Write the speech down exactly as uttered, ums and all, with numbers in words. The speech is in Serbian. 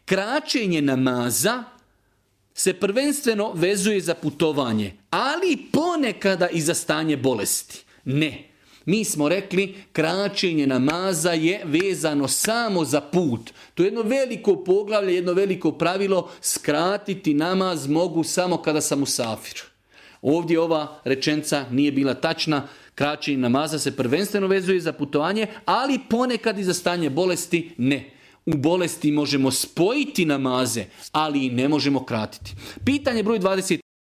kraćenje namaza se prvenstveno vezuje za putovanje, ali ponekada i za stanje bolesti. Ne. Mi smo rekli, kraćenje namaza je vezano samo za put. To je jedno veliko poglavlje, jedno veliko pravilo, skratiti namaz mogu samo kada sam musafir. Ovdje ova rečenica nije bila tačna, kraćenje namaza se prvenstveno vezuje za putovanje, ali ponekad i za stanje bolesti ne. U bolesti možemo spojiti namaze, ali i ne možemo kratiti. Pitanje broj dvadeset